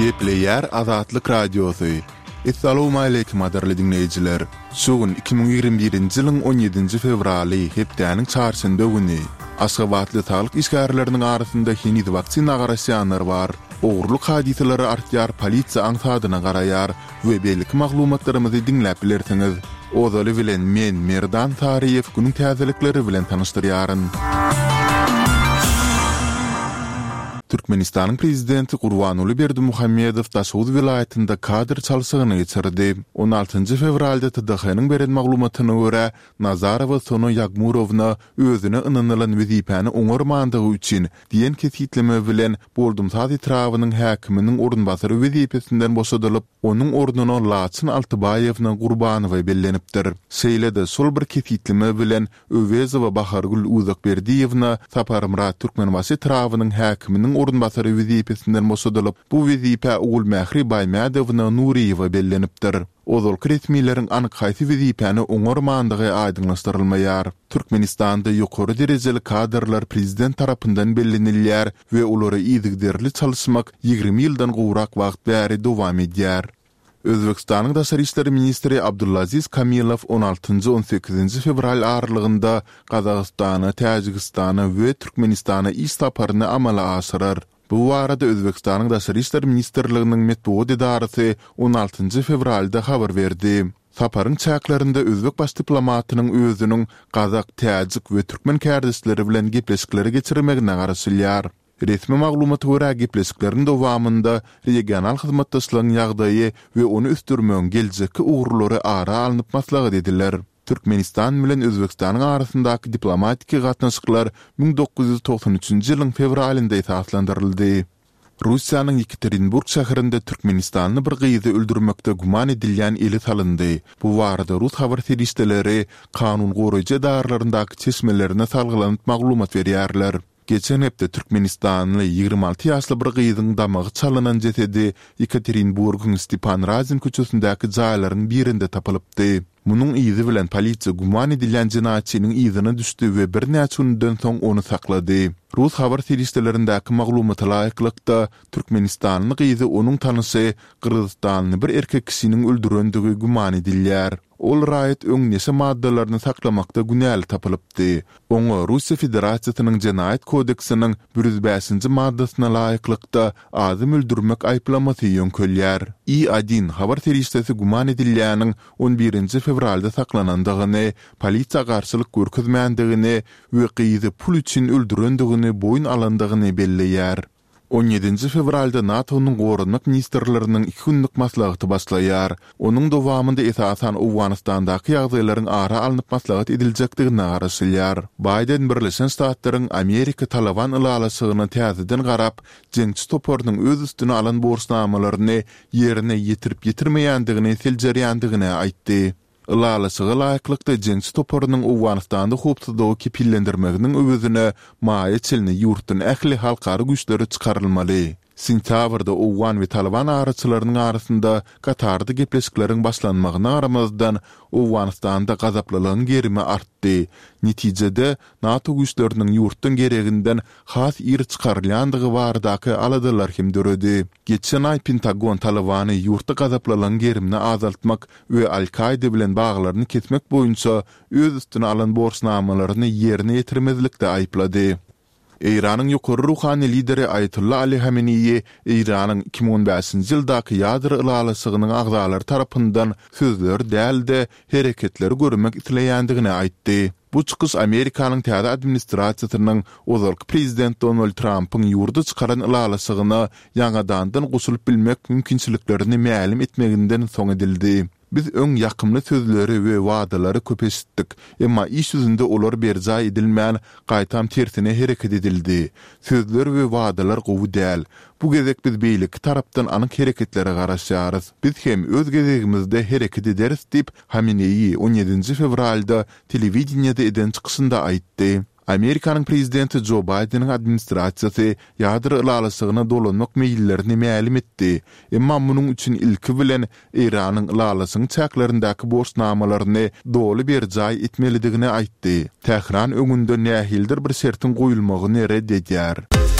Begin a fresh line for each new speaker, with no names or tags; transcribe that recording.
Gepleýär Azatlyk Radiosy. Essalawmaleýkim gadyrly diňleýjiler! Şu gün 2021-nji ýylyň on ýedinji fewraly, hepdäniň çarşenbe güni. Aşgabatly saglyk işgärleriniň arasynda heniz waksina garaşýanlar bar. Ogurlyk hadysalary artýar, polisiýa aňsadyna garaýar we beýleki maglumatlarymyzy diňläp bilersiňiz. Ozaly bilen men, Merdan Saryýew günüň täzelikleri bilen tanyşdyrýaryn. Türkmenistanyň Prezidenti Gurbanguly Berdimuhamedow Daşoguz welaýatynda kadr çalşygyny geçirdi. On altynjy fewralda TDH-nyň beren maglumatyna görä, Nazarowa Sona Ýagmurowna özüne ynanylan wezipäni oňarmandygy üçin diýen kesgitleme bilen Boldumsaz etrabynyň häkiminiň orunbasary wezipesinden boşadylyp, onuň ornuna Laçyn Altybaýewna Gurbanowa bellenipdir. Şeýle-de, şol bir kesgitleme bilen Öwezowa Bahargül Uzakberdiýewna Saparmyrat Türkmenbaşy etrabynyň häkiminiň orunbasary wezipesinden boşadylyp, bu wezipä Ogulmähri Baýmädowna Nuryýewa bellenipdir. Ozalky resmileriň anyk haýsy wezipäni oňarmandygy aýdyňlaşdyrylmaýar. Türkmenistanda ýokary derejeli kadrlar prezident tarapyndan bellenilýär we olary yzygiderli çalyşmak 20 ýyldan gowrak wagt bäri dowam edýär. Özbegistanyň daşary işler ministri Abdulaziz Kamilow on altynjy-on sekizinji fewral aralygynda Gazagystana, Täjigistana we Türkmenistana iş saparyny amala aşyrar. Bu barada Özbegistanyň Daşary işler ministrliginiň metbugat edarasy on altynjy fewralda habar berdi. Saparyň çäklerinde özbek baş diplomatynyň özüniň gazak, täjik we türkmen kärdeşleri bilen gepleşikleri geçirmegine garaşylýar. Resmi maglumata görä, gepleşikleriň dowamynda regional hyzmatdaşlygyň ýagdaýy we ony ösdürmegiň geljekki ugurlary ara alnyp maslahat ediler. Türkmenistan bilen Özbegistanyň arasyndaky diplomatiki gatnaşyklar 1993-nji ýylyň fewralynda esaslandyryldy. Russiýanyň Ýekaterinburg şäherinde türkmenistanly bir gyzy öldürmekde güman edilýän ele salyndy. Bu barada rus habar serişdeleri kanun goraýjy edaralaryndaky çeşmelerine salgylanyp maglumat berýärler. Geçen hepde türkmenistanly 26 ýaşly bir gyzyň damagy çalynan jesedi Ýekaterinburgyň Stepan Razin köçesindäki jaýlaryň birinde tapylypdy. Munuň yzy bilen polisiýa güman edilýän jenaýatçynyň yzyna düşdi we birnäçe günden soň ony saklady. Rus habar serişdelerindäki maglumata laýyklykda, türkmenistanly gyzy onuň tanyşy gyrgyzystanly bir erkek kişiniň öldürendigi güman edilýär. Ol raýat öň neşe maddalaryny saklamakda günäli tapylypdy. Oňa Russiýa Federasiýasynyň Jenaýat kodeksiniň 105-nji maddasyna laýyklykda adam öldürmek aýyplamasy ýöňkelýär. I-Odin habar serişdesi güman edilýäniň on birinji fewralda saklanandygyny, polisiýa garşylyk görkezmändigini we gyzy pul üçin öldürendigini boýun alandygyny belleýär. On ýedinji fewralda NATO-nyň goranmak ministrleriniň iki günlük maslahaty başlaýar. Onuň dowamynda esasan Owganystandaky ýagdaýlaryň ara alnyp maslahat ediljekdigine garaşylýar. Baýden Birleşen Ştatlaryň Amerika-Talaban ylalaşygyna täzeden garap, jeňçi toparynyň öz üstüne alan borçnamalaryny ýerine ýetirip-ýetirmeýändigini seljerýändigini aýtdy. Ylalaşyga laýyklykda, jeňçi toparynyň Owganystanda howpsuzlygy kepillendirmeginiň öwezine maýa çenli ýurtdan ähli halkara güýçleri çykarylmaly. Sentýabrda owgan we talyban araçylarynyň arasynda Katarda gepleşikleriň başlanmagyna garamazdan, Owganystanda gazaplylygyň gerimi artdy. Netijede, NATO güýçleriniň ýurtdan gereginden has ir çykarylýandygy baradaky aladalar hem döredi. Geçen aý Pentagon Talybany ýurtda gazaplylygyň gerimini azaltmak we Al-Kaýda bilen baglaryny kesmek boýunça öz üstüne alan borçnamalaryny ýerine ýetirmezlikde aýyplady. Eýranyň ýokary ruhany lideri Aýatolla Ali Hameneýi Eýranyň 2015-nji ýyldaky ýadro ylalaşygynyň agzalary tarapyndan sözleri däl-de, hereketleri görmek isleýändigini aýtdy. Bu çykyş Amerikanyň täze administrasiýasynyň ozalky prezident Donald Trampyň ýurda çykaran ylalaşygyna ýaňadandan goşulyp bilmek mümkinçiliklerini mälim etmeginden soň edildi. Biz öň ýakymly sözleri we wadalary köp eşitdik, emma iş ýüzünde olar berjaý edilmän, gaýtam tersine hereket edildi. Sözler we wadalar gowy däl. Bu gezek biz beýleki tarapdan anyk hereketlere garaşýarys. Biz hem öz gezegimizde hereket ederis diýip, Hameneýi on ýedinji fewralda telewideniýede eden çykyşynda aýtdy. Amerikanyň prezidenti Jo Baýdeniň administrasiýasy ýadro ylalaşygyna dolanmak meýillerini mälim etdi, emma munuň üçin ilki bilen Eýranyň ylalaşygyň çäklerindäki borçnamalaryny doly berjaý etmelidigini aýtdy. Tähran öňünde nähilidir bir şertiň goýulmagyny ret edýär.